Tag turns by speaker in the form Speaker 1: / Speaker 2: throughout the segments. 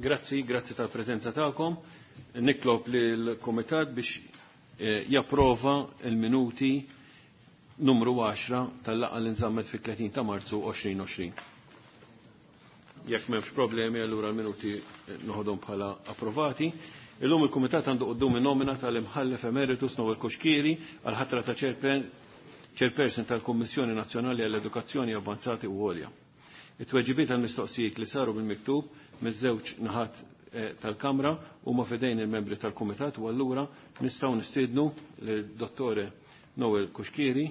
Speaker 1: Grazzi, grazzi tal-preżenza tagħkom. Nitlob lill-Kumitat biex eh, japprova il-minuti numru 10 tal-laqgħa li nżammet fit-30 ta' Marzu 2020. Jekk m'hemmx problemi allura l-minuti eh, noħodhom bħala approvati. Illum il-Kumitat għandu quddiem nomina tal-Imħallef Emeritus Noel Cuschieri għal ħatra ta' chairperson tal-Kummissjoni Nazzjonali għall-Edukazzjoni Avanzati u Għolja. It-tweġibiet għal-mistoqsijiet li saru bil-miktub miż-żewġ naħat eh, tal-Kamra huma f'idejn il-membri tal-Kumitat u allura nistgħu nistiednu lid-Dottore Noel Cuschieri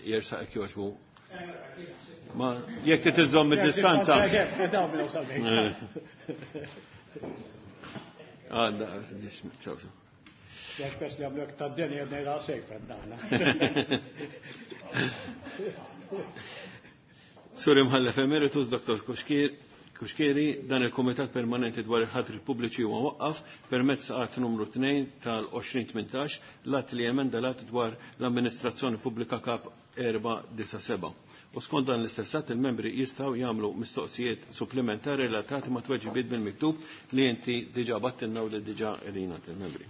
Speaker 1: jersaq jekk jogħġbu. Ma jekk trid iżżomm id-distanza. Eh. Għadda, ċaw.
Speaker 2: Jekk pers li għamlu ta' d-deni għedna jgħal sejf għedna.
Speaker 1: Sur Imħallef Emeritus, Dr. Cuschieri, dan il-Komitat Permanenti dwar il-ħatri pubbliċi huwa waqqaf permezz att numru 2 tal-2018 l-att li emenda l-att dwar l-amministrazzjoni pubblika kap 497. U skont dan l-istess att il-membri jistgħu jagħmlu mistoqsijiet supplementari relatati ma' tweġibiet bil-miktub li inti diġà battilna u li diġà qegħdin il-membri.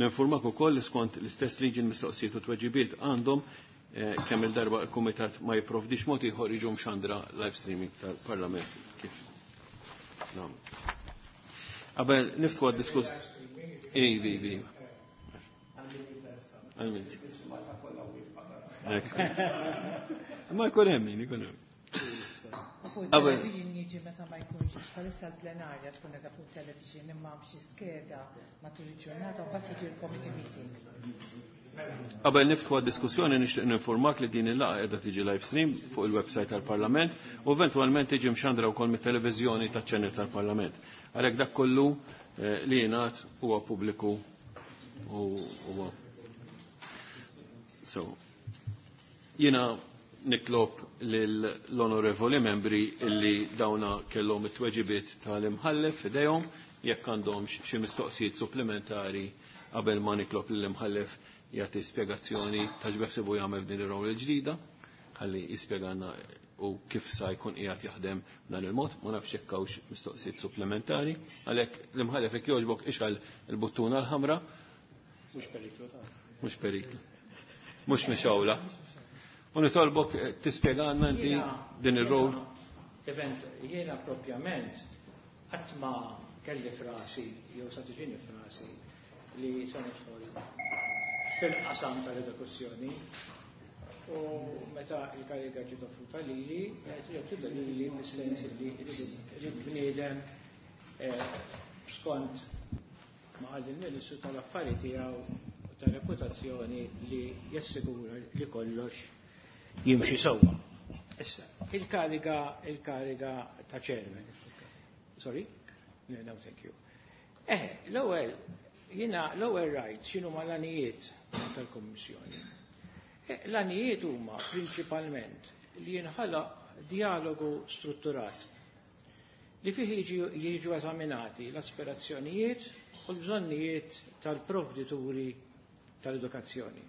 Speaker 1: Ninformak ukoll li skont l-istess liġi l-mistoqsijiet u tweġibiet għandhom eh, kemm il-darba il-Kumitat ma jipprovdix mod ieħor jiġu mxandra live streaming tal-Parlament kif. Nagħmlu. Qabel niftħu għad-diskuss. Ivi, ivi. Għal-min. Ma jkun hemm min, ikun hemm.
Speaker 3: Fuq television jiġi meta ma jkunx, għax bħalissa l-plenarja tkun qiegħda fuq television imma b'xi skeda matul il-ġurnata u mbagħad jiġi l-committee meeting.
Speaker 1: Qabel niftħu għad-diskussjoni nixtieq ninformak li din il-laqgħa qiegħda tiġi live stream fuq il-website tal-Parlament u eventwalment tiġi mxandra wkoll mit-televiżjoni taċ-channel tal-Parlament. Għalhekk dak kollu eh, li jingħad huwa pubbliku u huwa. So, jiena nitlob lill-onorevoli membri illi dawna kellhom it-tweġibiet tal-imħallef f'idejhom jekk għandhom xi mistoqsijiet supplementari qabel ma nitlob lill-imħallef jagħti spjegazzjoni ta' x'beħsibu jagħmel f'din ir-rol il-ġdida, ħalli jispjegana u kif sa jkun qiegħed jaħdem b'dan il-mod, ma nafx jekk hawnx mistoqsijiet supplementari, għalhekk l-imħallef jekk jogħġbok ixgħal il-buttuna l-ħamra.
Speaker 2: Mhux periklu ta'
Speaker 1: Mhux periklu. Mhux mixgħula. U nitolbok eh, tispjegana inti din ir-rol.
Speaker 4: Event, jiena propjament qatt ma kelli frasi jew sa tiġini frasi li se nidħol fil-qasam tal-edukazzjoni u meta il-kariga ġiet offruta lili, ġiet offruta lili fis-sens li rrid bniedem eh, skont ma qal il-Ministru tal-affari tiegħu u tal-reputazzjoni li jassigura li kollox jimxi sewwa. Issa, il-kariga il-kariga ta' chairman. Sorry? No, no, thank you. Eh, l-ewwel jiena l-ewwel rajt x'inhu l-għanijiet tal-Kummissjoni. Eh, l-għanijiet huma prinċipalment li jinħalaq dialogu strutturat li fih jiġu eżaminati l-aspirazzjonijiet u l-bżonnijiet tal-provdituri tal-edukazzjoni.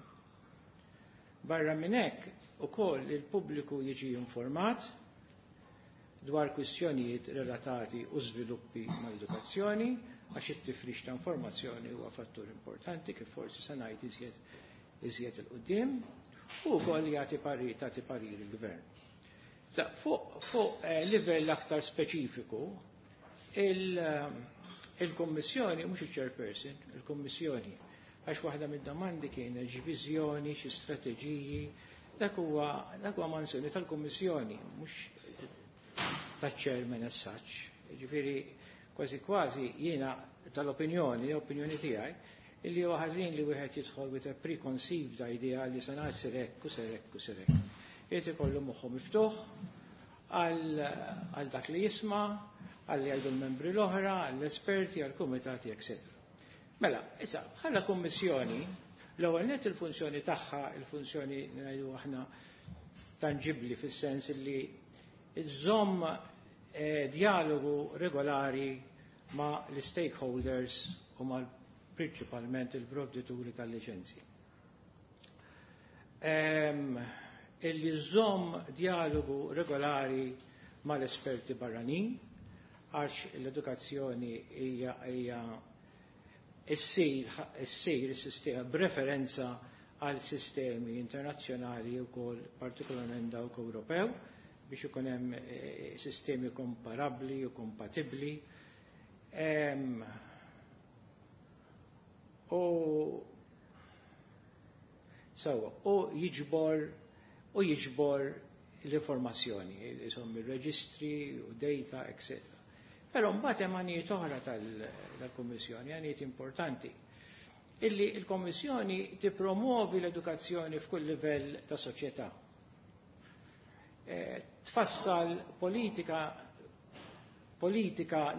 Speaker 4: Barra minn hekk ukoll il-pubbliku jiġi informat dwar kwistjonijiet relatati u żviluppi mal-edukazzjoni għax it-tifrix ta' informazzjoni huwa fattur importanti kif forsi se ngħid iżjed iżjed 'il quddiem u wkoll jagħti parir tagħti parir il-gvern. Fuq fu, eh, livell aktar speċifiku, il-Kommissjoni, mhux il-chairperson, il-Kommissjoni, għax waħda mid-domandi kienet xi viżjoni, xi strateġiji, dak huwa dak huwa manzjoni tal-Kummissjoni, mhux taċ-chairman as such. Ġifieri kważi kważi jiena tal-opinjoni, l-opinjoni tiegħi, illi huwa ħażin li wieħed jidħol with a preconceived idea li se ngħid hekk u ser hekk u ser hekk. Irid ikollu moħħu miftuħ għal dak li jisma', għal li jgħidu l-membri l-oħra, għall-esperti, għall-kumitati, etc. Mela, issa, bħala kummissjoni, l-ewwel net il-funzjoni tagħha, il-funzjoni ngħidu aħna tangibli fis-sens li iżżomm eh, dialogu regolari ma' l-stakeholders u ma' prinċipalment il-provdituri tal-liċenzji. Illi żomm dialogu regolari mal-esperti barranin, għax l-edukazzjoni hija issir is-sistema b'referenza għal sistemi internazzjonali wkoll, partikolarment dawk Ewropew, biex ikun hemm sistemi komparabbli u kompatibbli. U sewa, u jiġbor l-informazzjoni, insomma, il-reġistri u data, etc. Però mbagħad hemm għanijiet oħra tal-Kummissjoni, għanijiet importanti, illi l-Kommissjoni tippromuovi l-edukazzjoni f'kull livell ta' soċjetà. Tfassal politika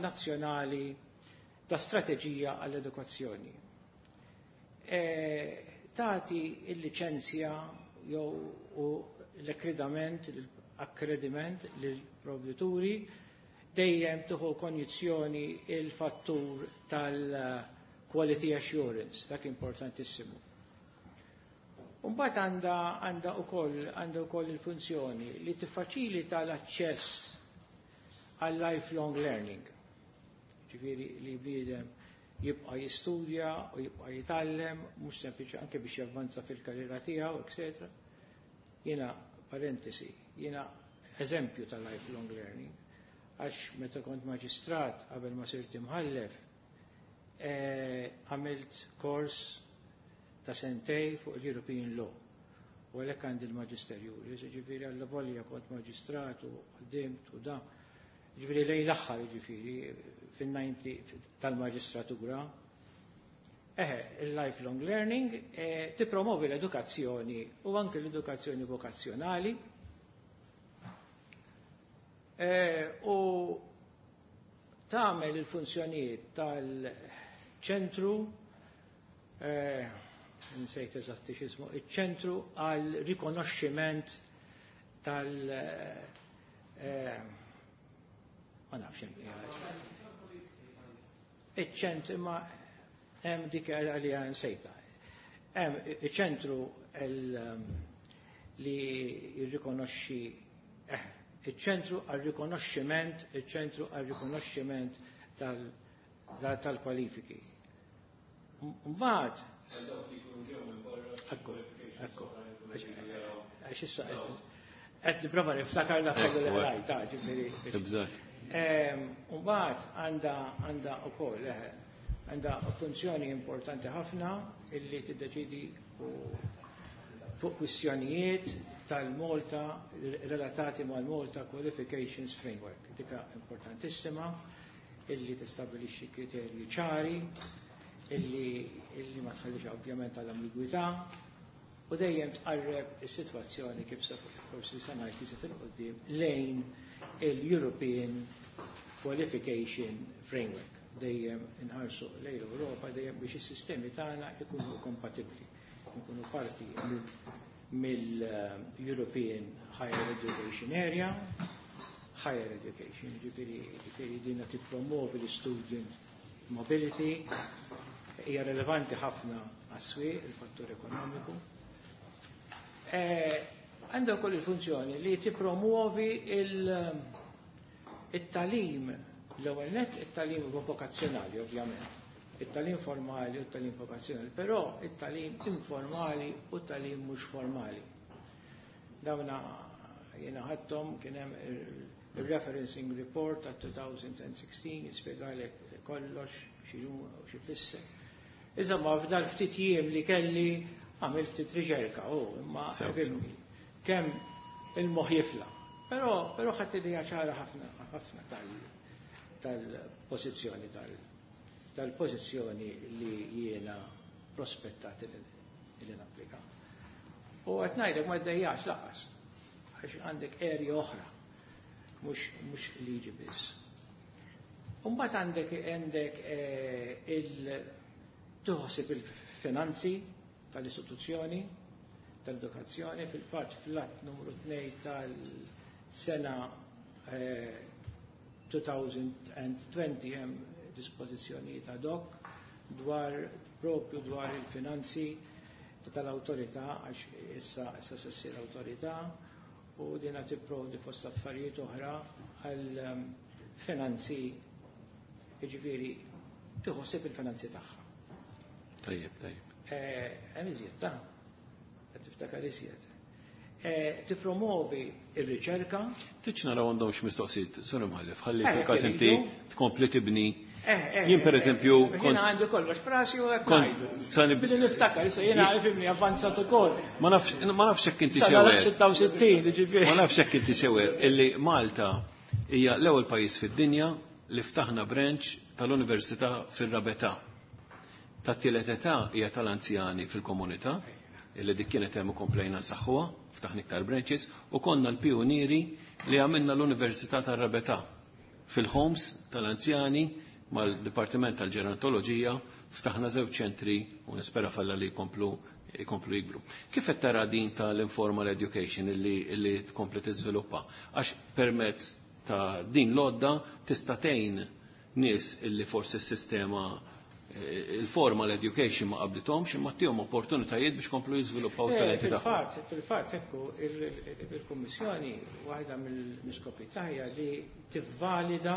Speaker 4: nazzjonali ta' strateġija għall-edukazzjoni. Tagħti il-liċenzja jew u l-akkredament l-akkrediment lill-provdituri, dejjem tieħu konjizzjoni il-fattur tal-quality assurance, dak importantissimu. Mbagħad għandha wkoll il-funzjoni li tiffaċilita l-aċċess għal lifelong learning. Ġifieri li bniedem jibqa' jistudja u jibqa' jitgħallem, mhux sempliċi anke biex javvanza fil-karriera tiegħu, etc. Jiena, parentesi, jiena eżempju ta' lifelong learning, għax meta kont maġistrat qabel ma sirt imħallef, għamilt kors ta' sentejn fuq l-European Law. U għalhekk għandi l-maġisterju. Ġifieri għalla volja kont maġistrat u ħdimt u da. Ġifieri lejn l-aħħar, ġifieri fin-90 tal-maġistratura. Eħe, il-lifelong learning tippromovi l-edukazzjoni u anke l-edukazzjoni vokazzjonali. U tagħmel il-funzjonijiet tal-ċentru, nsejt eżatti x'ismu, iċ-ċentru għal rikonoxximent tal ma nafx iċ-ċentru, imma hemm dik għalija nsejta. Hemm iċ-ċentru li jirrikonoxxi, iċ-ċentru għal rikonoxximent tal-kwalifiki. Mbagħad ekku, għax issa qed nipprova niftakar dak li rajt, ġifieri. Mbagħad għandha wkoll għandha funzjoni importanti ħafna illi tiddeċidi fuq kwistjonijiet tal-Malta relatati mal-Malta Qualifications Framework. Dika importantissima illi tistabilixxi kriterji ċari illi ma tħallix ovvjament għall-ambigwità u dejjem tqarreb is-sitwazzjoni, kif sa forsi se ngħid li 'il quddiem, lejn il-European Qualification Framework. Dejjem inħarsu lejn l-Ewropa, dejjem biex is-sistemi tagħna ikunu kompatibbli, ikunu parti mill-European Higher Education Area, Higher Education, ġifieri dina tippromovi l-student mobility, hija relevanti ħafna għas-swieq, il-fattur ekonomiku. Għandha wkoll il-funzjoni li tippromuovi il-tagħlim, l-ewwel net it-tagħlim vokazzjonali ovvjament, it-tagħlim formali u t-tagħlim vokazzjonali, però it-tagħlim informali u t-tagħlim mhux formali. Dawna jiena ħadthom, kien hemm il-referencing report ta' 2016 jispjegalek kollox x'inhu u x'ifisser. Iżda ma f'dal ftit jiem li kelli għamilt ftit riċerka, u imma fimni, kemm il-moħħ jifla. Però ħadd idea ċara ħafna ħafna tal-pożizzjoni tal-pożizzjoni li jiena prospettat li napplika. U qed ngħidlek ma ddejjax lanqas, għax għandek area oħra, mhux liġi biss. Mbagħad għandek il tħossib il-finanzi tal-istituzzjoni tal-edukazzjoni. Fil-fatt fl-att numru 2 tal-sena 2020 hemm dispożizzjonijiet ad hoc dwar propju dwar il-finanzi tal-awtorità, għax issa se ssir awtorità u dina tipprovdi fost affarijiet oħra għal finanzi, jiġifieri tieħu ħsieb il-finanzi tagħha.
Speaker 1: Tajjeb, tajjeb.
Speaker 4: Hemm iżjed ta' qed tiftakar iżjed. Tippromovi r-riċerka.
Speaker 1: Tridx naraw għandhomx mistoqsijiet, Sur Imħallef, ħalli fil-każ inti tkompli tibni. Jien pereżempju
Speaker 4: kont. Jiena għandi kollox frasi u hekk ngħidu. Billi niftakar, issa jiena ifhimni avvanzat ukoll.
Speaker 1: Ma nafx ma nafx hekk inti sewer.
Speaker 4: 66, ġifieri.
Speaker 1: Ma nafx hekk inti sewer illi Malta hija l-ewwel pajjiż fid-dinja li ftaħna branch tal-Università fir-Rabetà. Tat-tielet età hija tal-anzjani fil-komunità, illi dik kienet hemm u komplejna nsaħħuha, ftaħna iktar branches, u konna l-pijunieri li għamilna l-Università tar-Rabetà fil-homes tal-anzjani mal-Dipartiment tal-Ġerontoloġija, ftaħna żewġ ċentri u nispera falla li jkomplu jkomplu jikbru. Kif qed tara din tal-informal education illi, illi tkompli tiżviluppa? Għax permezz ta' din l-għodda tista' tgħin nies illi forsi s-sistema il-formal education ma qablithomx imma ttihom opportunitajiet biex komplu jiżviluppaw it-talenti tagħhom.
Speaker 4: Fil-fatt, ekku, il-Kummissjoni waħda mill-iskopi tagħha li tivvalida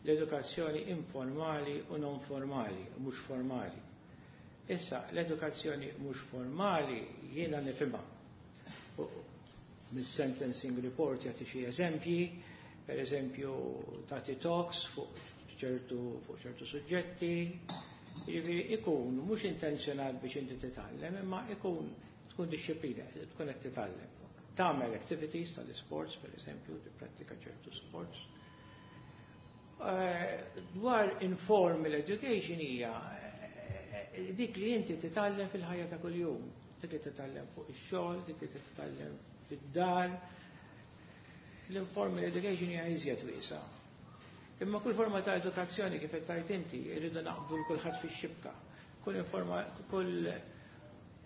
Speaker 4: l-edukazzjoni informali u non formali, mhux formali. Issa, l-edukazzjoni mhux formali jiena nifhimha. Mis-sentencing report jagħti xi eżempji, per eżempju tagħti talks fuq ċertu fuq ċertu suġġetti, jiġifieri ikun mhux intenzjonat biex inti titgħallem, imma ikun tkun dixxiplina, tkun qed titgħallem. Tagħmel activities tal-sports, per eżempju, tipprattika ċertu sports. Dwar informal education hija dik li inti titgħallem fil-ħajja ta' kuljum, dik li titgħallem fuq ix-xogħol, dik li titgħallem fid-dar. L-informal education hija iżjed wiesgħa. Imma kull forma ta' edukazzjoni kif qed tgħid inti, irridu naqbdu l kulħadd fix-xibka. Kull informa kull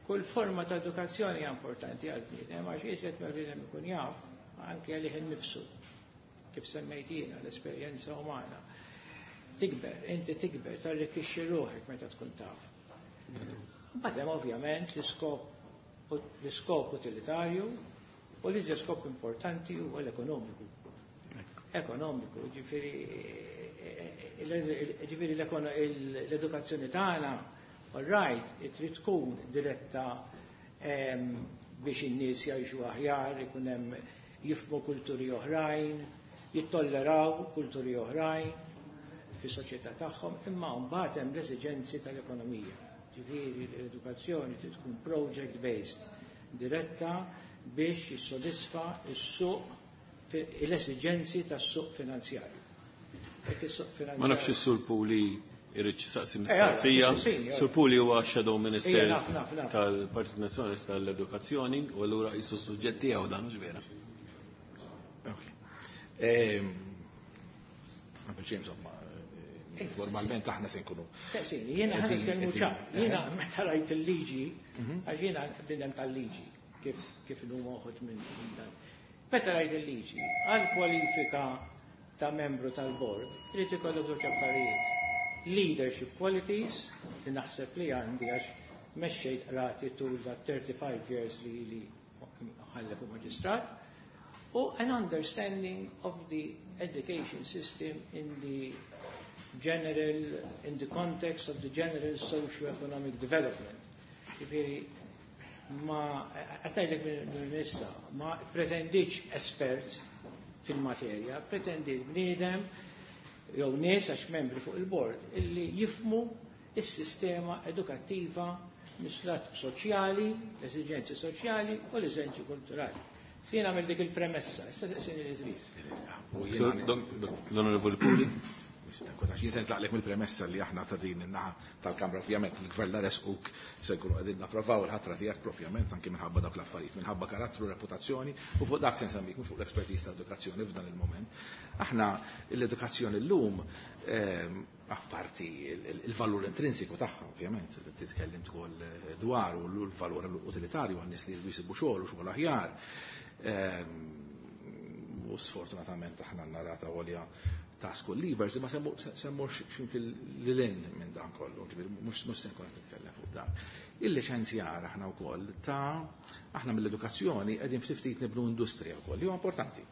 Speaker 4: kull forma ta' edukazzjoni hija importanti għal bniedem għax iżjed ma bniedem ikun jaf anke għalih innifsu kif semmejt jiena l-esperjenza umana. Tikber, inti tikber, tarrikkixxi ruħek meta tkun taf. Mbagħad hemm ovvjament l-iskop l-iskop utilitarju u l-iżjed skop importanti huwa l-ekonomiku. Ekonomiku, ġifieri ġifieri l-edukazzjoni tagħna, all right, trid tkun diretta biex in-nies jgħixu aħjar, ikun hemm jifhmu kulturi oħrajn, jittolleraw kulturi oħrajn fis-soċjetà tagħhom, imma mbagħad hemm l-esiġenzi tal-ekonomija. Ġifieri l-edukazzjoni trid tkun project based, diretta biex jissodisfa s-suq l-esiġenzi tas-suq finanzjarju.
Speaker 1: Ma nafx is-Sur Puli irid saqsi mistoqsija. Sur Puli huwa Shadow Minister tal-Partit Nazzjonalista tal-Edukazzjoni u allura qisu suġġett tiegħu dan mhux vera.
Speaker 5: Qabel xejn insomma, formalment aħna se nkunu.
Speaker 4: Saqsini, jiena ħa nitkellmu ċar. Jiena meta rajt il-liġi, għax jiena bniedem tal-liġi, kif kif huma uħud minn dan. Meta rajt il-liġi, għal kwalifika ta' membru tal-bord, irid ikollok żewġ affarijiet. Leadership qualities, li naħseb li għandi għax mexxejt qrati tul da 35 years li li mħallef u maġistrat, u an understanding of the education system in the general, in the context of the general socio-economic development. Ġifieri, ma, għatajlek minn issa, ma pretendiċ espert fil-materja, pretendit bniedem jew nies għax membri fuq il-bord illi jifhmu is-sistema edukattiva mis-lat soċjali, l-esiġenzi soċjali u l-esiġenzi kulturali. Sina għamil dik il-premessa, issa saqsini li trid.
Speaker 1: L-Onorevoli Puli.
Speaker 5: Jien se nitlaqlek mill-premessa li aħna ta' din in-naħa tal-Kamra ovvjament il-Gvern la resquk se nkunu qegħdin napprovaw il-ħatra tiegħek propjament anke minħabba dawk l-affarijiet, minħabba karattru, reputazzjoni u fuq dak se nsemmik mhux fuq l-expertise ta' edukazzjoni f'dan il-moment. Aħna l-edukazzjoni llum apparti il-valur intrinsiku tagħha ovvjament, titkellim ukoll dwar u l-valur utilitarju għan-nies li jridu jsibu xogħol u xogħol aħjar. U sfortunatament aħna narata għolja ta' school leavers, imma semmu ximkien lilin minn dan kollu, ġifieri mhux se nkun qed nitkellem fuq dan. Il-liċenzjar aħna wkoll ta' aħna mill-edukazzjoni qegħdin ftit ftit nibnu industrija wkoll, li huwa importanti.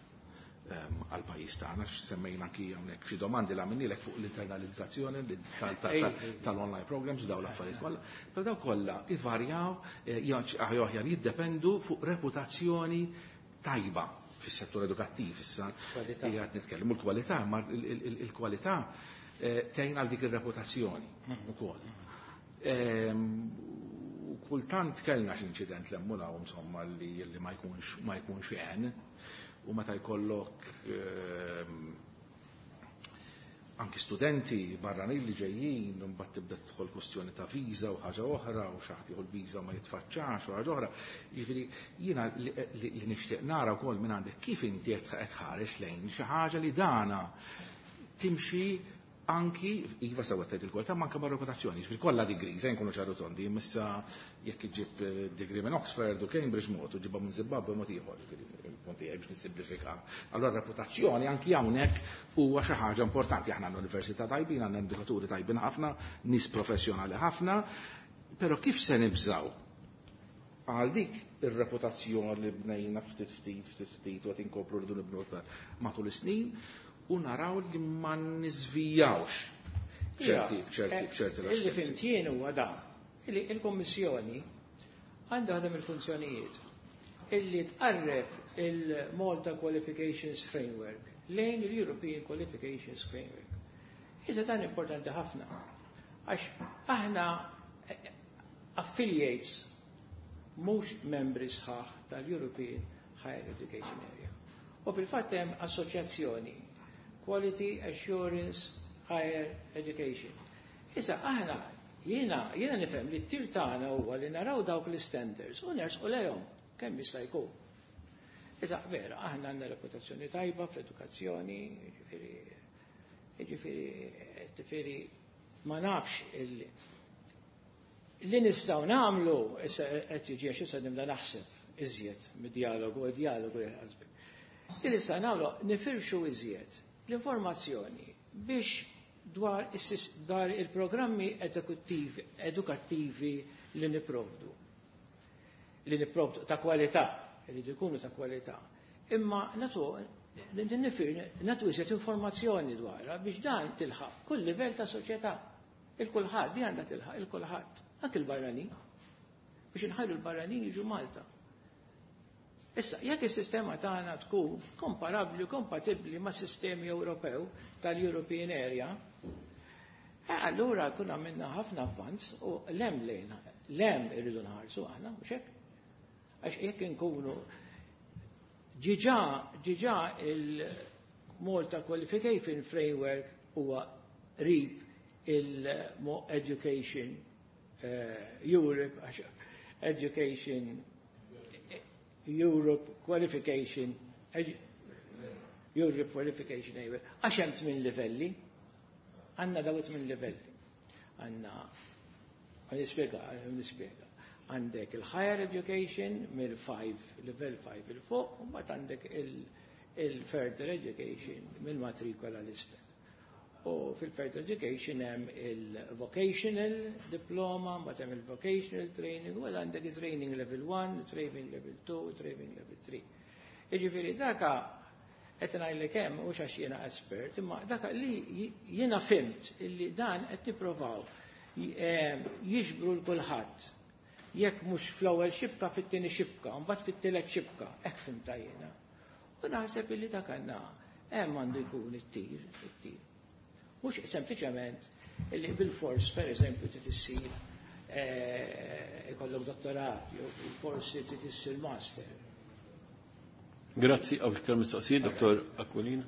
Speaker 5: għal-pajjiż tagħna, semmejna anki hawnhekk xi domandi li għamilnielek fuq l-internalizzazzjoni tal-online programs daw l-affarijiet kollha. Però daw kollha ivarjaw, jew aħjar jiddependu fuq reputazzjoni tajba fis-settur edukattiv issa. Qiegħed nitkellmu l-kwalità, ma il-kwalità tgħin għal dik ir-reputazzjoni ukoll. Kultant kellna xi inċident l-emmulaw insomma li ma jkunx għen, u meta jkollok anki studenti barranin li ġejjin, mbagħad tibda tidħol kwestjoni ta' viża u ħaġa oħra, u xi ħadd jieħu l-viża ma jitfaċċax u ħaġa oħra. Jiġifieri jiena li nixtieq nara wkoll minn għandek kif inti qed tħares lejn xi ħaġa li dana timxi anki, iva sewa tgħid il-kwalità, ma anke mar-reputazzjoni. Jiġifieri kollha degrees, nkunu ċaru tondi, imissa jekk iġib degree minn Oxford u Cambridge mod, u ġibha minn Zimbabwe mod ieħor, jiġifieri il-punt tiegħi biex nissimplifika. Allora reputazzjoni anki hawnhekk huwa xi ħaġa importanti. Aħna għandna università tajbin, għandna edukaturi tajbin ħafna, nies professjonali ħafna, però kif se nibżgħu għal dik ir-reputazzjoni li bnejna ftit ftit ftit ftit u qed inkopru rridu nibnu matul is-snin, u naraw li ma niżvijawx ċerti
Speaker 4: Illi
Speaker 5: raġunijiet.
Speaker 4: fimt jien huwa dan, illi il-Kommissjoni għandha waħda mill-funzjonijiet illi tqarreb il-Malta Qualifications Framework lejn il-European Qualifications Framework. Iżda dan importanti ħafna, għax aħna affiliates mhux membri sħaħ tal-European Higher Education Area. U fil-fatt hemm assoċjazzjoni Quality Assurance Higher Education. Issa aħna jiena nifhem li t-tir tagħna huwa li naraw dawk l-standards u nersqu lejhom kemm jista' jkun. Issa vera, aħna għandna reputazzjoni tajba fl-edukazzjoni, jiġifieri ma nafx li nistgħu nagħmlu issa qed jiġi għax issa nibda naħseb iżjed mid-dialogu, id-dialogu jħasbek. Li nistgħu nagħmlu nifirxu iżjed l-informazzjoni biex dwar il-programmi edukattivi li niprovdu. Li niprovdu ta' kwalità, li jkunu ta' kwalità. Imma natu iżjed informazzjoni dwarha biex dan tilħaq kull livell ta' soċjetà. Il-kulħadd, di għandha tilħaq il-kulħadd, anke l-barranin, biex inħajru l-barranin jiġu Malta. Issa, jekk is-sistema tagħna tkun komparabbli u kompatibbli ma' sistemi Ewropew tal-European Area, allura kun għamilna ħafna avvanz u lem lejna, lem irridu nħarsu aħna, mhux hekk? Għax jekk inkunu ġiġa il-Malta Qualification Framework huwa qrib il-Education Europe, għax Education Europe Qualification, Europe Qualification Area. Għax hemm 8 livelli, għandna daw 8 livelli. Għandna, nispjega. Għandek il-higher education mill-5, level 5 il-fuq, u mbagħad għandek il-further education mill-matrikola l-isfel. U fil-further education hemm il-vocational diploma, mbagħad hemm il-vocational training, u għandek il-training level 1, training level 2, training level 3. Jiġifieri daka qed ngħidlek hemm mhux għax jiena expert, imma daka li jiena fimt illi dan qed nippruvaw jiġbru l kulħadd. Jekk mhux fl-ewwel xibka fit-tieni xibka, mbagħad fit-tielet xibka, hekk fimta jiena. U naħseb illi dak għandna hemm għandu jkun it-tir, it-tir. Mhux sempliċement illi bil-fors, per eżempju, trid issir ikollok dottorat, jew bil-fors trid issir master.
Speaker 1: Grazzi, għaw iktar mistoqsijiet, Dottor Aquilina.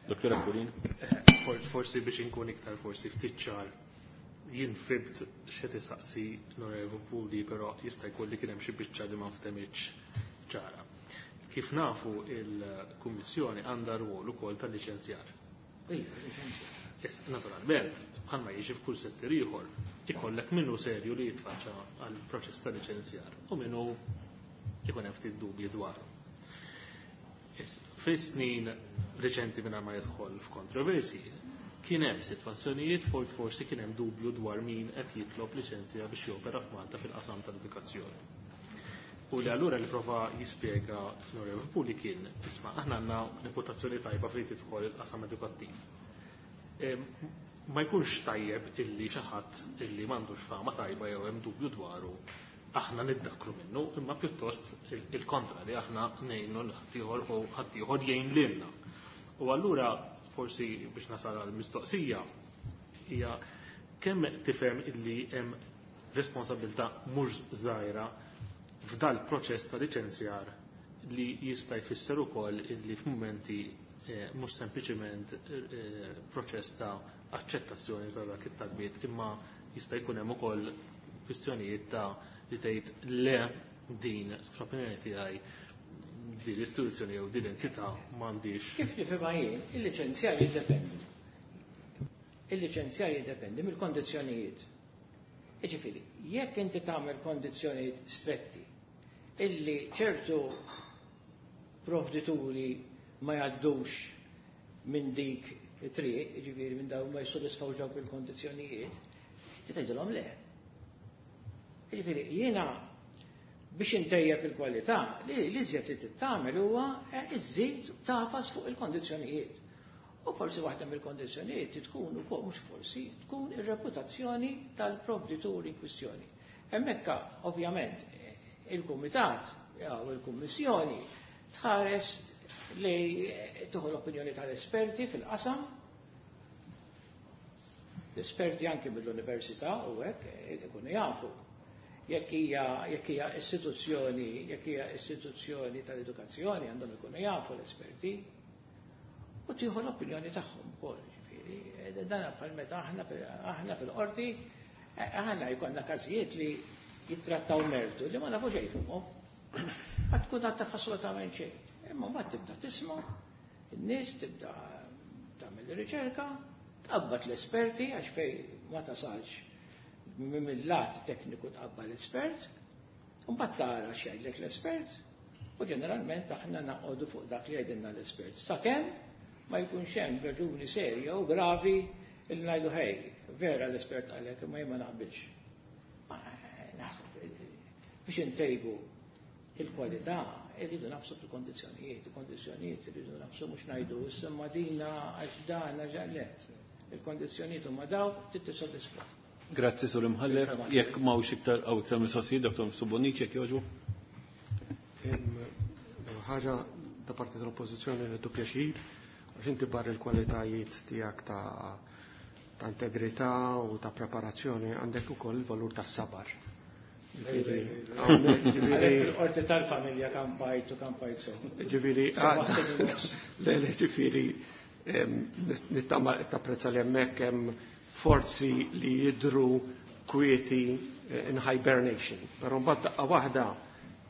Speaker 1: Dottor Aquilina.
Speaker 6: Forsi biex inkun iktar forsi ftit ċar, jien fibt x'qed isaqsi l-Onorevoli Puli, però jista' jkun li kien hemm xi biċċa li ma ftemitx ċara. Kif nafu il-Kummissjoni għandha rwol ukoll tal-liċenzjar. Naturalment, bħalma jiġi f'kull settur ieħor, ikollek minnu serju li jitfaċċa għal proċess ta' liċenzjar u minnu ikun hemm ftit dubji dwaru. Fis-snin reċenti mingħajr ma jidħol f'kontroversi, kien hemm sitwazzjonijiet forsi kien hemm dubju dwar min qed jitlob liċenzja biex jopera f'Malta fil-qasam tal-edukazzjoni. U li allura li prova jispjega l-Onorevoli Puli kien, isma' aħna għandna reputazzjoni tajba fejn tidħol il-qasam edukattiv. Ma jkunx tajjeb illi xi ħadd illi m'għandux fama tajba jew hemm dubju dwaru aħna niddakru minnu, imma pjuttost il-kontra li aħna ngħinu l ħaddieħor u ħaddieħor jgħin lilna. U allura forsi biex nasal għal mistoqsija hija kemm tifhem illi hemm responsabilità mhux żgħira f'dal proċess ta' liċenzjar li jista' jfisser ukoll illi f'mumenti mhux sempliċiment proċess ta' aċċettazzjoni ta' dak it-talbiet imma jista' jkun hemm ukoll kwistjonijiet ta' li tgħid le din fl-opinjoni tiegħi din l-istituzzjoni jew din l-entità m'għandix.
Speaker 4: Kif nifhimha jien, il-liċenzjar jiddependi. Il-liċenzjar jiddependi mill-kondizzjonijiet. Jiġifieri, jekk inti tagħmel kondizzjonijiet stretti illi ċertu provdituri ma jgħaddux minn dik it-triq, jiġifieri minn dawn ma jissodisfawx dawk il-kondizzjonijiet, inti tgħidilhom le. Jiġifieri jiena biex intejjeb il-kwalità, li l-iżjed li trid tagħmel huwa iżżid tafas fuq il-kondizzjonijiet. U forsi waħda mill-kondizzjonijiet tkun ukoll mhux forsi tkun ir-reputazzjoni tal-provditur in kwistjoni. Hemmhekk ovvjament il-kumitat jew il-kummissjoni tħares li tieħu l-opinjoni tal-esperti fil-qasam, l-esperti anki mill-università u hekk ikunu jafu jekk hija istituzzjoni, jekk hija istituzzjoni tal-edukazzjoni għandhom ikunu jafu l-esperti u tieħu l-opinjoni tagħhom ukoll, ġifieri. Dan bħal meta aħna fil-qorti aħna jkollna każijiet li jittrattaw mertu li ma nafu xejn fuqhom. Ma tkun għad taf assolutament xejn. Imma mbagħad tibda tisma' in-nies tibda tagħmel riċerka, tqabbad l-esperti għax fejn ma tasalx mill-lat tekniku tqabbad l-espert, u mbagħad tara x'jgħidlek l-espert, u ġeneralment aħna naqogħdu fuq dak li jgħidilna l-espert. Sakemm ma jkunx hemm raġuni serja u gravi li ngħidu ħej, vera l-espert għalhekk imma jien ma naqbilx. Naħseb biex intejbu il-kwalità irridu nafsu fil-kondizzjonijiet, il-kondizzjonijiet irridu nafsu mhux ngħidu issa dina għax dan għax le. Il-kondizzjonijiet huma dawk trid tissodisfa.
Speaker 1: Grazzi Sur Imħallef, jekk m'hawnx iktar hawn iktar mistoqsijiet, Dr. Subonici jekk jogħġbu.
Speaker 7: Ħaġa da parti tal-oppożizzjoni li pjaċir għax inti barra l-kwalitajiet tiegħek ta' integrità u ta' preparazzjoni għandek ukoll il-valur tas-sabar.
Speaker 4: Fil-qorti tal-familja kampajt u kampajt so.
Speaker 7: Ġifieri, le, ġifieri, nittama tapprezza li hemmhekk hemm forzi li jidru kwieti in hibernation. Però mbagħad daqqa waħda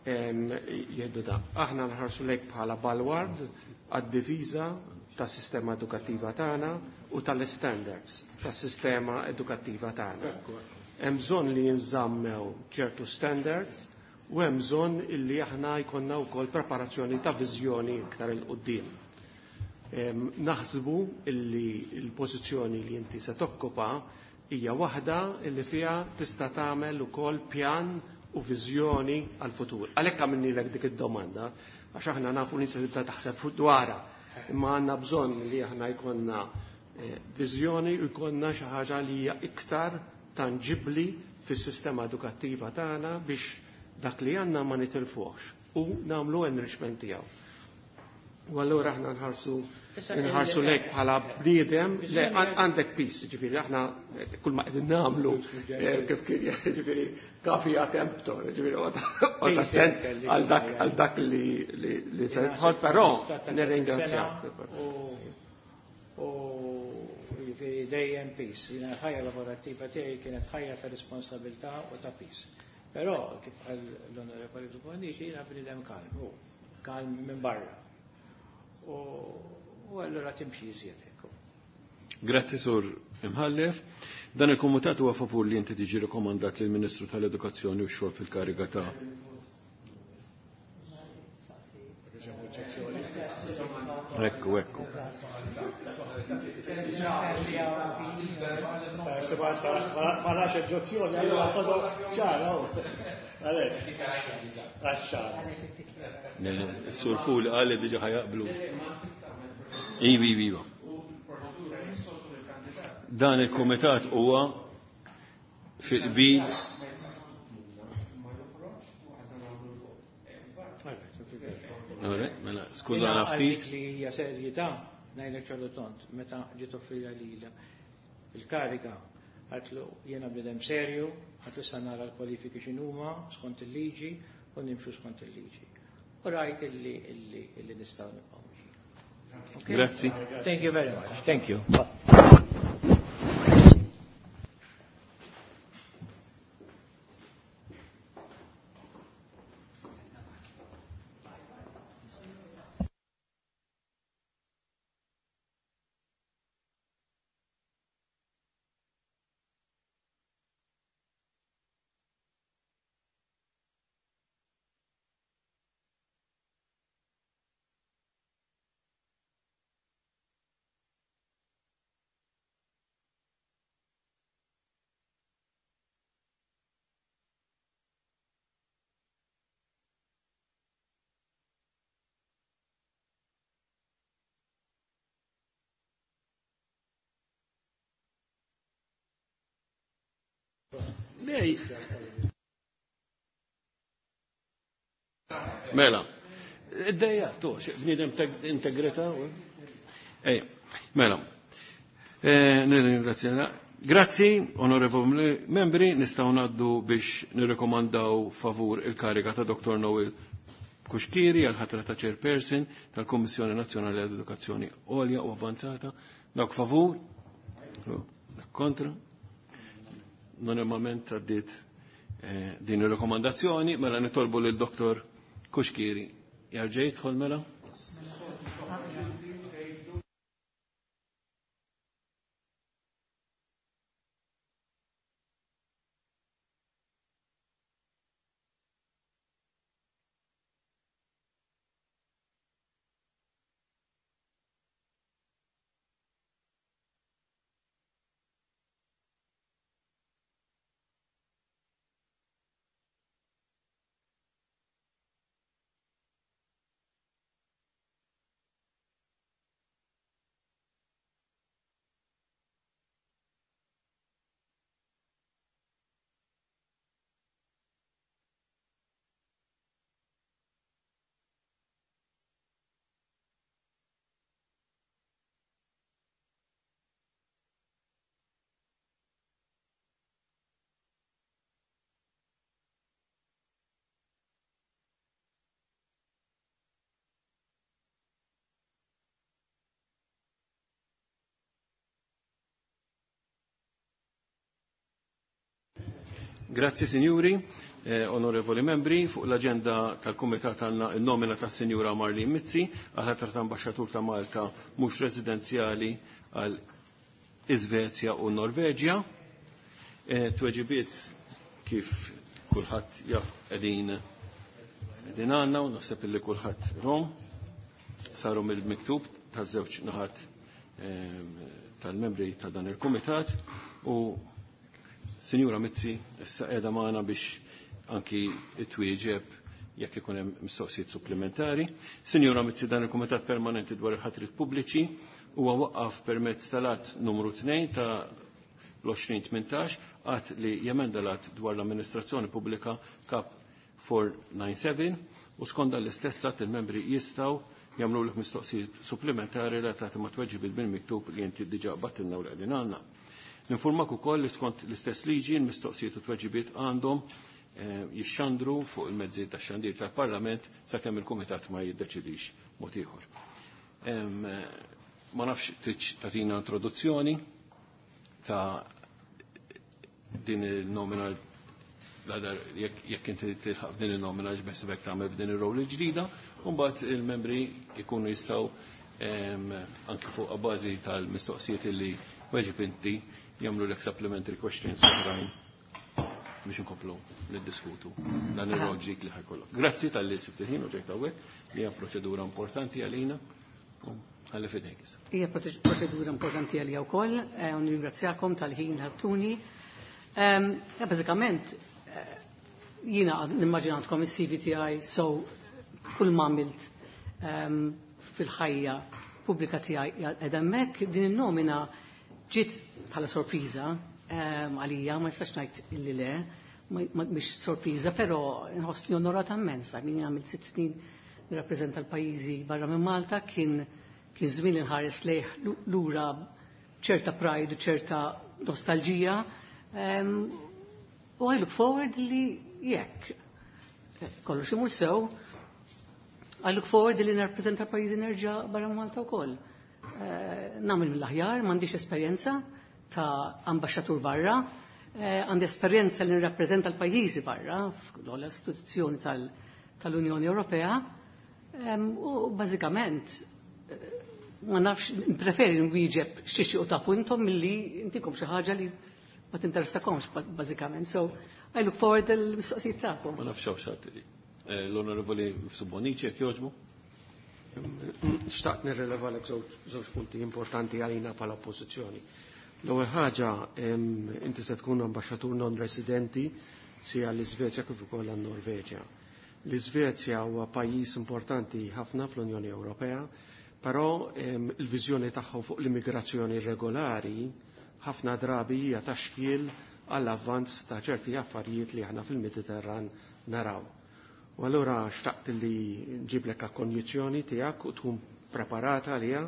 Speaker 7: jgħidu da. Aħna nħarsu lejk bħala balward għad-diviża tas-sistema edukattiva tagħna u tal-standards tas-sistema edukattiva tagħna. Hemm bżonn li jinżammew ċertu standards u hemm bżonn illi aħna jkollna wkoll preparazzjoni ta' viżjoni iktar il quddiem. Naħsbu illi l-pożizzjoni li inti se tokkopa hija waħda illi fiha tista' tagħmel ukoll pjan u viżjoni għal-futur. Għalhekk għamilnilek dik id-domanda, għax aħna nafu li se tibda taħseb fuq dwarha, imma għandna bżonn li aħna jkollna viżjoni u jkollna xi ħaġa li hija iktar tanġibli fis-sistema edukattiva tagħna biex dak li għandna ma nitilfuhx u nagħmlu enrichment tiegħu. U allura aħna nħarsu lek bħala bniedem, le għandek peace, ġifieri aħna kull ma qegħdin nagħmlu kif kien ġifieri kafi temptor, ġifieri attent għal dak li se tidħol, però nirringrazzjak.
Speaker 4: U ġifieri dejjem peace. Jiena l-ħajja lavorattiva tiegħi kienet ħajja ta' responsabilità u ta' peace. Però kif qal l-Onorevoli Dubonici, jiena bniedem kalm, u kalm minn barra. U allura timxi iżjed hekk.
Speaker 1: Grazzi Sur Imħallef. Dan il-komitat huwa favur li inti tiġi rekomandat lill Ministru tal-Edukazzjoni u x-xogħol fil-kariga ta' Ekku, ekku.
Speaker 2: Ma nafx oġġezzjoni, allura ċara. Għalek. Għaxxar.
Speaker 1: Sur Puli qal li diġà ħajaqblu. Ivi, ivi, iva. Dan il-kumitat huwa fil-qbil Mela, skużana ftit.
Speaker 4: Li hija serjetà ngħidlek ċarlu tont, meta ġiet offrija lilha il-kariga għatlu jiena bnedem serju, għatlu sa nara l-kwalifiki x'inhuma skont il-liġi u nimxu skont il-liġi. U rajt illi illi illi nistgħu nibqgħu mixjin.
Speaker 1: Grazzi.
Speaker 4: Thank you very much. Thank you.
Speaker 1: Mela, id-dejja, tu, bniedem integrità. Ej, mela. Nirringrazzja. Grazzi, onorevoli membri, nistgħu ngħaddu biex nirrekomandaw favur il-kariga ta' Dr. Noel Kuxkiri għal ħatra ta' chairperson tal-Kommissjoni Nazzjonali għall-Edukazzjoni Għolja u Avanzata. Dak favur? Dak kontra? Normalment għaddiet din ir-rekomandazzjoni, mela nitolbu lil Dr. Kuxkiri. Jarġa' jidħol mela? Grazzi signori, onorevoli membri, fuq l-agenda tal-Kumitat għandna n-nomina tas-Sinjura Marlene Mizzi għal ħatra ta' Ambaxxatur ta' Malta mhux residenzjali għal Iżvezja u Norveġja. Tweġibiet kif kulħadd jaf qegħdin qegħdin għandna u naħseb illi kulħadd rom saru mill-miktub taż-żewġ naħat tal-membri ta' dan il-Kumitat u Sinjura Mizzi issa qiegħda magħna biex anki twieġeb jekk ikun hemm mistoqsijiet supplementari. Sinjura Mizzi, dan il-Kumitat Permanenti dwar il-ħatrit Pubbliċi huwa waqqaf permezz tal-att numru 2 ta' l-2018 att li jemenda l-att dwar l-amministrazzjoni pubblika kap 497 u skonda l-istess att il-membri jistgħu jagħmlu lek mistoqsijiet supplementari relatati ma' tweġibiet bil-miktub li inti diġà battilna u li qegħdin għandna. Ninformak ukoll li skont l-istess liġi l-mistoqsijiet u tweġibiet għandhom jixxandru fuq il-mezzi tax-xandir tal-Parlament sakemm il-Kumitat ma jiddeċidix mod ieħor. Ma nafx tridx tagħtina introduzzjoni ta' din il-nomina jekk inti tilħaq din il-nomina x'beħsibek tagħmel f'din ir-rol il-ġdida, u mbagħad il-membri jkunu jistgħu anki fuq bażi tal-mistoqsijiet illi weġib inti jagħmlu lek supplementary questions oħrajn biex inkomplu niddiskutu dan ir-rol ġdid li ħajkollok. Grazzi talli sibt il-ħin u ġejt hawnhekk, li hija proċedura importanti għalina. Ħalli fidejk issa.
Speaker 8: Hija proċedura importanti għalija wkoll, u nirringrazzjakom tal-ħin ħattuni. Bażikament, Jiena nimmaġinatkom is-CV tiegħi, so kull ma għamilt fil-ħajja pubblika tiegħi qiegħda hemmhekk. Din in-nomina ġiet bħala sorpriża għalija, ma nistax ngħid illi le, mhix sorpriża, però nħossni onorata immens. Min għamilt 6 snin nirrappreżenta l-pajjiżi barra minn Malta, kien żmien inħares lejh lura ċerta pride u ċerta nostalġija. U I look forward li jekk kollox imur sew, I look forward li nirrappreżenta pajjiżi nerġa' barra Malta wkoll. Nagħmel mill-aħjar, m'għandix esperjenza ta' ambaxxatur barra, għandi esperjenza li nirrappreżenta l-pajjiżi barra fl-ogħla istituzzjoni tal-Unjoni Ewropea. U bażikament ma nafx, preferi nwieġeb xi u tafu intom milli intikom xi ħaġa li ma tinteressakomx bażikament. So I look forward il-mistoqsijiet tagħkom.
Speaker 1: Ma nafx hawn xi L-Onorevoli Subonici, jekk jogħġbu.
Speaker 7: Xtaqt nirreleva lek żewġ punti importanti għalina bħala oppożizzjoni. L-ewwel ħaġa, inti se tkun ambaxxatur non residenti sia l-Iżvezja kif ukoll għan-Norveġja. L-Iżvezja huwa pajjiż importanti ħafna fl-Unjoni Ewropea, però il-viżjoni tagħhom fuq l-immigrazzjoni irregolari ħafna drabi hija ta' xkiel għall-avvanz ta' ċerti affarijiet li aħna fil-Mediterran naraw. U allura xtaqt li nġiblek konjizzjoni tiegħek u tkun preparata għaliha,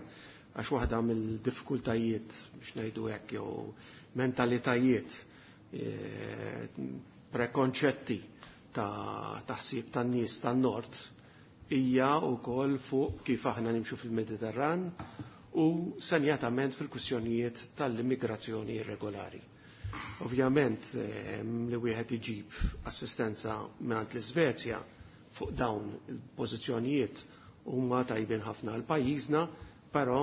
Speaker 7: għax waħda mill-diffikultajiet biex ngħidu hekk jew mentalitajiet prekonċetti ta' taħsib tan-nies tan-nord hija wkoll fuq kif aħna nimxu fil-Mediterran u senjatament fil-kwistjonijiet tal-immigrazzjoni irregolari. Ovvjament li wieħed iġib assistenza mingħand l-Iżvezja fuq dawn il-pożizzjonijiet huma tajbin ħafna għal pajjiżna, però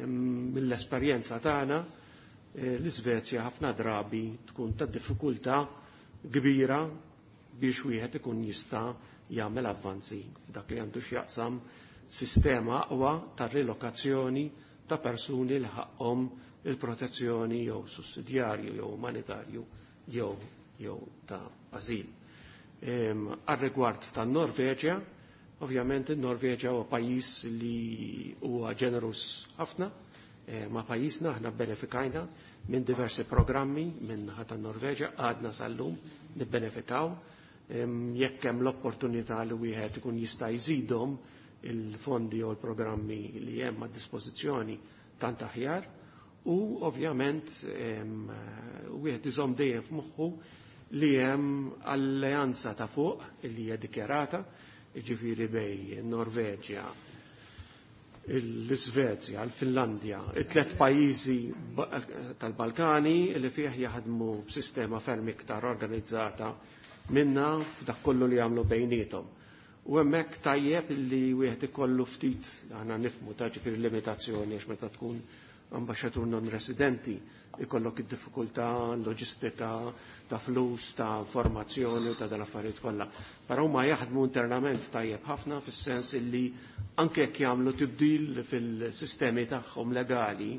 Speaker 7: mill-esperjenza tagħna l-Iżvezja ħafna drabi tkun ta' diffikultà kbira biex wieħed ikun jista' jagħmel avvanzi f'dak li għandu x'jaqsam sistema aqwa ta' rilokazzjoni ta' persuni li ħaqhom il-protezzjoni jew sussidjarju jew umanitarju jew ta' ażil. Għar-rigward tan-Norveġja, ovvjament in-Norveġja huwa pajjiż li huwa ġenerus ħafna ma' pajjiżna, aħna bbenefikajna minn diversi programmi minn naħa tan-Norveġja, għadna sal-lum nibbenefikaw. Jekk hemm l-opportunità li wieħed ikun jista' jżidhom il-fondi jew il-programmi li hemm għad dispożizzjoni tant aħjar, u ovvjament wieħed iżomm dejjem f'moħħu li hemm alleanza ta' fuq li hija dikjarata, jiġifieri bej Norveġja, l-Iżvezja, l-Finlandja, it-tliet pajjiżi tal-Balkani li fih jaħdmu b'sistema ferm iktar organizzata minna f'dak kollu li jagħmlu bejniethom. U hemmhekk tajjeb li wieħed ikollu ftit, aħna nifhmu ta' ġifieri limitazzjoni għax meta tkun ambaxxatur non residenti ikollok id-diffikultà loġistika ta' flus, ta' informazzjoni u ta' dal-affarijiet kollha. Però huma jaħdmu internament tajjeb ħafna fis-sens illi anke jekk jagħmlu tibdil fil-sistemi tagħhom legali,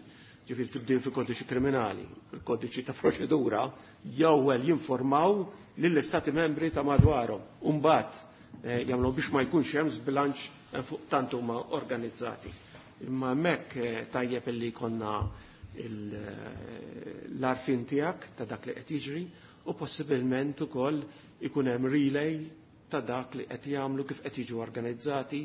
Speaker 7: ġifieri tibdil fil-kodiċi kriminali, fil-kodiċi ta' proċedura, jew jinformaw lill-istati membri ta' madwarhom. U mbagħad jagħmlu biex ma jkunx hemm żbilanċ fuq tant huma organizzati. Imma hemmhekk tajjeb illi jkollna l-arfin tiegħek ta' dak li qed jiġri u possibilment ukoll ikun hemm relay ta' dak li qed jagħmlu kif qed jiġu organizzati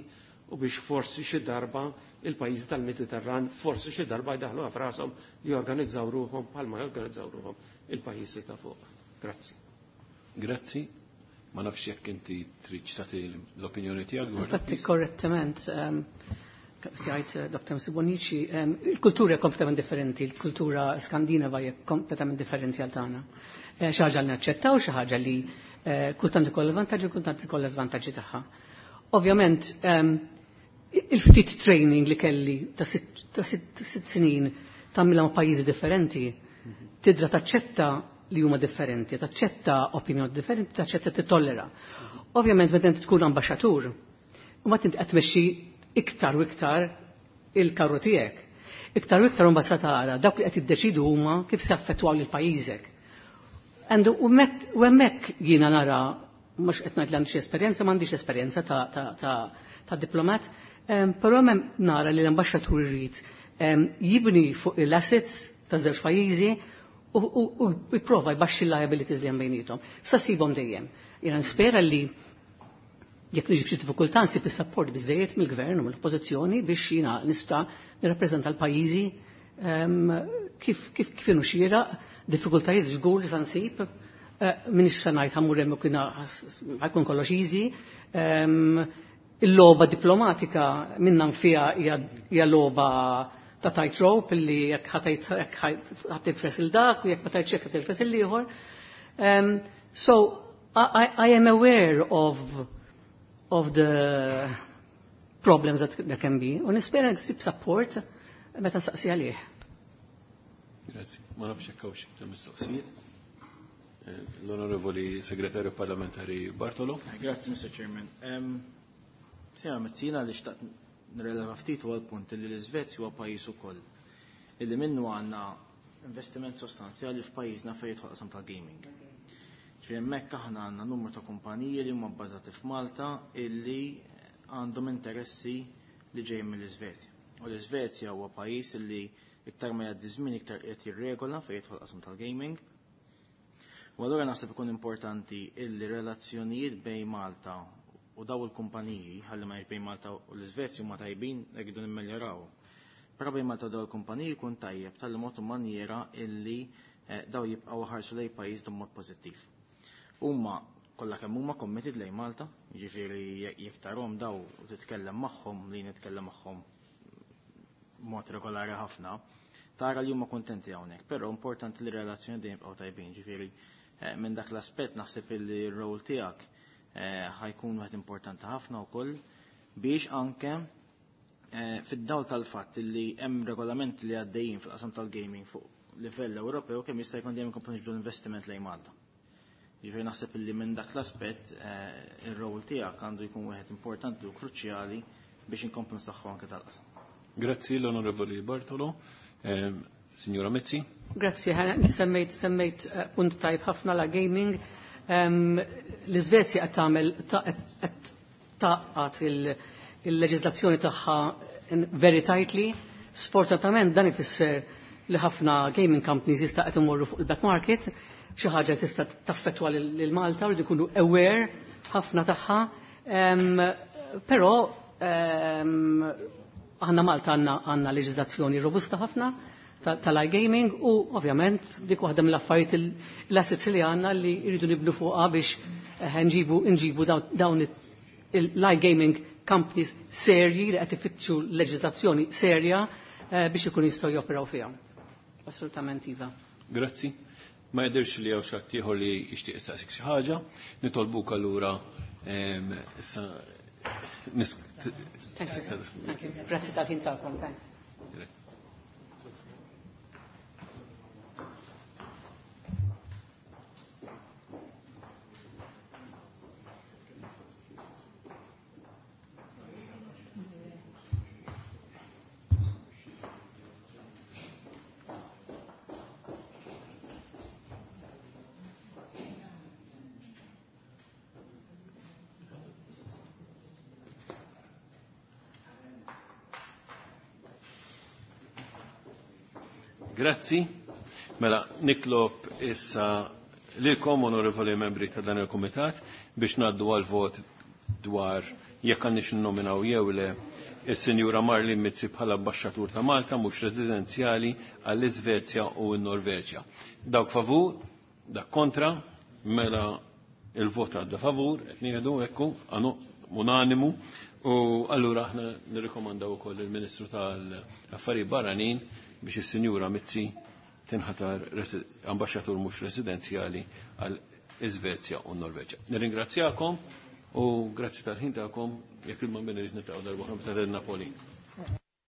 Speaker 7: u biex forsi xi darba il-pajjiżi tal-Mediterran forsi xi darba jdaħlu f'rashom li jorganizzaw ruħhom bħalma jorganizzaw ruħhom il-pajjiżi ta' fuq. Grazzi.
Speaker 1: Grazzi. Ma nafx jekk inti trid tagħti l-opinjoni tiegħek dwar.
Speaker 8: Infatti korrettament jgħid Dr. Msubonici, il-kultura hija kompletament differenti, il-kultura skandinava hija kompletament differenti għal tagħna. Xi ħaġa li naċċettaw, xi ħaġa li kultant ikollha vantaġġi u kultant ikollha żvantaġġi tagħha. Ovvjament, il-ftit training li kelli ta' 6 snin tagħmilha ma' pajjiżi differenti, tidra taċċetta li huma differenti, taċċetta opinjoni differenti, taċċetta tittollera. Ovvjament meta inti tkun ambaxxatur, u ma tinti qed tmexxi iktar u iktar il-karru tiegħek. Iktar u iktar imbagħad se tara dawk li qed jiddeċidu huma kif se affettwaw lil pajjiżek. U hemmhekk jiena nara Mhux qed ngħid li għandi xi esperjenza, m'għandix esperjenza ta' diplomat, però nara li l-ambaxxatur irid jibni fuq l-assets ta' żewġ pajjiżi u jipprova jbaxxi l-liabilities li hemm bejniethom. Sa sibhom dejjem. Jiena nispera li jekk niġi f'xi diffikultà nsib is-support biżejjed mill-gvern u mill-oppożizzjoni biex jiena nista' nirrappreżenta l-pajjiżi kif kif kif inhu xieraq, diffikultajiet żgur li sa nsib, minix se ngħid ħammur hemm kien ħajkun kollox easy. Il-logħba diplomatika minna nfiha hija logħba ta' tightrope illi jekk ħa tirfes il dak u jekk ma tgħidx hekk ħa tirfes il-ieħor. So I am aware of the problems that there can be u nispera nsib support meta nsaqsi għalih.
Speaker 1: Grazzi. Ma nafx hekk hawnx iktar mistoqsijiet. L-Onorevoli Segretarju Parlamentari Bartolo.
Speaker 9: Grazzi, Mr. Chairman. Sena Mezzina li xtaqt nirreleva ftit huwa l-punt li l-Iżvezja huwa pajjiż ukoll illi minnu għandna investiment sostanzjali f'pajjiżna fejn jidħol qasam tal-gaming. Ġifieri hemmhekk aħna għandna numru ta' kumpaniji li huma bbażati f'Malta illi għandhom interessi li ġejjin mill-Iżvezja. U l-Iżvezja huwa pajjiż illi iktar ma jgħaddi żmien iktar qed jirregola fejn jidħol qasam tal-gaming. U allura naħseb ikun importanti illi relazzjonijiet bejn Malta u daw il-kumpaniji, ħalli ma bejn Malta u l-Iżvezja huma tajbin jridu nimmeljoraw. Però bejn Malta u daw il-kumpaniji jkun tajjeb tal mod u manjera illi daw jibqgħu ħarsu lejn pajjiż b'mod pożittiv. Huma kollha kemm huma committed lejn Malta, jiġifieri jekk tarhom daw u titkellem magħhom li nitkellem magħhom mod regolari ħafna, tara li huma kontenti hawnhekk, però importanti li relazzjoni dejjem jibqgħu tajbin, ġifieri minn dak l-aspett naħseb illi r-rol tiegħek ħajkun wieħed importanti ħafna wkoll biex anke fid-dawl tal-fatt li hemm regolamenti li għaddejjin fil-qasam tal-gaming fuq livell Ewropew kemm jista' jkun dejjem ikomplu niġbdu l-investiment lejn Malta. Jiġifieri naħseb illi minn dak l-aspett ir-rol tiegħek għandu jkun wieħed importanti u kruċjali biex inkomplu nsaħħu anke tal-qasam.
Speaker 1: Grazzi l-Onorevoli Bartolo. Signora Mizzi.
Speaker 8: Grazzi, semmejt punt tajb ħafna la gaming. L-Iżvezja qed tagħmel qed taqgħat il-leġiżlazzjoni tagħha very tightly. Sfortunatament dan ifisser li ħafna gaming companies jista' qed imorru fuq il-black market, xi ħaġa tista' taffettwa lil Malta u jkunu aware ħafna tagħha. Però aħna Malta għandna leġiżlazzjoni robusta ħafna tal-iGaming u ovvjament dik waħda mill-affarijiet l-assets li għandna li jridu nibnu fuqha biex nġibu dawn l-iGaming companies serji li qed ifittxu leġiżlazzjoni serja biex ikun jistgħu joperaw fiha. Assolutament iva.
Speaker 1: Grazzi. Ma jidhirx li hawn xi ħadd ieħor li jixtieq jistaqsik xi ħaġa. Nitolbuk allura issa
Speaker 8: Thank you. Thank you. Grazzi tal-ħin tagħkom. Thanks.
Speaker 1: Grazzi. Mela, nitlob issa lilkom onorevoli membri ta' dan il-Kumitat biex ngħaddu għal vot dwar jekk għandniex nnominaw jew le is-Sinjura Marlene Mizzi bħala ambaxxatur ta' Malta mhux residenzjali għall-Iżvezja u n-Norveġja. Dawk favur, dak kontra, mela il-vot għadda favur, qed nieħdu ekku unanimu u allura aħna nirrikomandaw ukoll il-Ministru tal-Affarijiet Barranin biex is-Sinjura Mizzi tinħatar ambaxxatur mhux residenzjali għal Iżvezja u Norveġja. Nirringrazzjakom u grazzi tal-ħin tagħkom jekk il-ma niltaqgħu darba oħra meta Napoli.